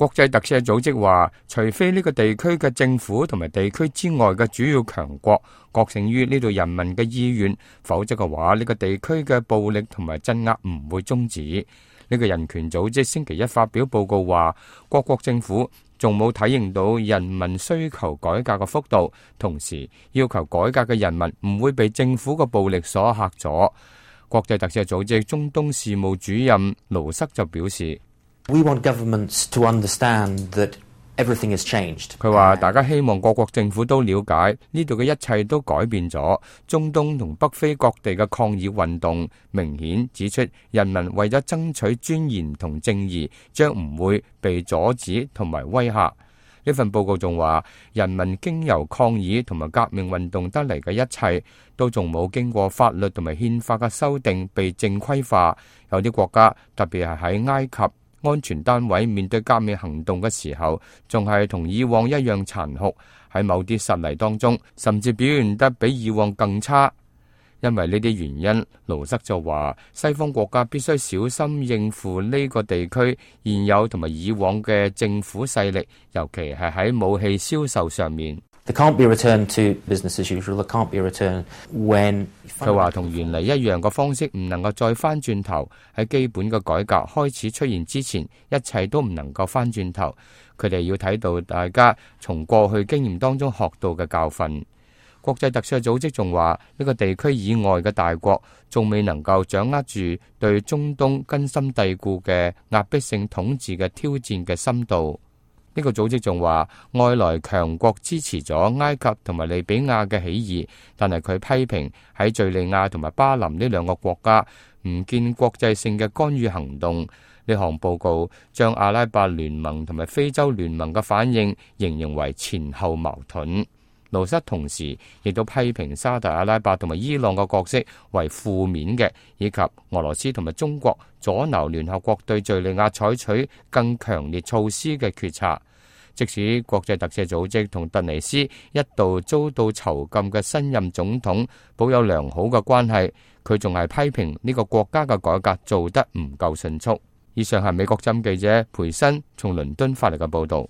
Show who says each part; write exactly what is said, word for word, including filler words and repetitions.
Speaker 1: 國際特赦組織話，除非呢個地區嘅政府同埋地區之外嘅主要強國覺醒於呢度人民嘅意願，否則嘅話，呢個地區嘅暴力同埋鎮壓唔會終止。呢個人權組織星期一發表報告話，各國政府仲冇體認到人民需求改革嘅幅度，同時要求改革嘅人民唔會被政府嘅暴力所嚇阻。國際特赦組織中東事務主任盧瑟就表示，
Speaker 2: We want governments to understand that everything has changed.
Speaker 1: 佢話大家希望各國政府都了解呢度嘅一切都改變咗。中東同北非各地嘅抗議運動明顯指出，人民為咗爭取尊嚴同正義，將唔會被阻止同埋威嚇。呢份報告仲話，人民經由抗議同埋革命運動得嚟嘅一切，都仲冇經過法律同埋憲法嘅修訂被正規化。有啲國家，特別係喺埃及，安全單位面對革命行動嘅時候，仲係同以往一樣殘酷。喺某啲實例當中，甚至表現得比以往更差。因為呢啲原因，盧瑟就話，西方國家必須小心應付呢個地區現有同埋以往嘅政府勢力，尤其係喺武器銷售上面。
Speaker 2: There can't be a return to business as usual. There can't be a return when
Speaker 1: 佢話同原嚟一樣嘅方式唔能夠再翻轉頭。喺基本嘅改革開始出現之前，一切都唔能夠翻轉頭。佢哋要睇到大家從過去經驗當中學到嘅教訓。國際特赦組織仲話，呢個地區以外嘅大國仲未能夠掌握住對中東根深蒂固嘅壓迫性統治嘅挑戰嘅深度。呢個組織仲話，外來強國支持咗埃及同埋利比亞嘅起義，但係佢批評喺敘利亞同埋巴林呢兩個國家唔見國際性嘅干預行動。呢項報告將阿拉伯聯盟同埋非洲聯盟嘅反應形容為前後矛盾。盧瑟同時亦都批評沙特阿拉伯同埋伊朗嘅角色為負面嘅，以及俄羅斯同埋中國阻撓聯合國對敘利亞採取更強烈措施嘅決策。即使國際特赦組織同突尼斯一度遭到囚禁嘅新任總統保有良好嘅關係，佢仲係批評呢個國家嘅改革做得唔夠迅速。以上係美國之音記者培新從倫敦發嚟嘅報導。